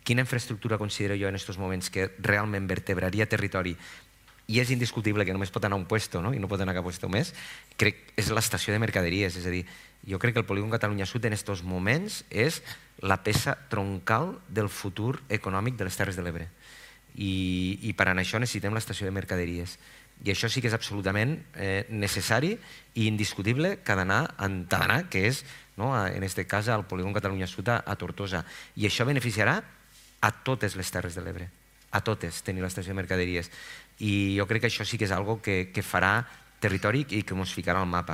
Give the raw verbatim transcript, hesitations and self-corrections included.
quina infraestructura considero jo en aquests moments que realment vertebraria territori i és indiscutible que només pot anar a un puesto, no? I no pot anar a cap puesto més, crec que és l'estació de mercaderies. És a dir, jo crec que el polígon Catalunya Sud en aquests moments és la peça troncal del futur econòmic de les Terres de l'Ebre. I, i per a això necessitem l'estació de mercaderies. I això sí que és absolutament eh, necessari i indiscutible que ha d'anar, que és, no, en aquest cas, al polígon Catalunya Sud a, a Tortosa. I això beneficiarà a totes les Terres de l'Ebre, a totes, tenir l'estació de mercaderies. I jo crec que això sí que és algo que, que farà territori i que ens ficarà al mapa.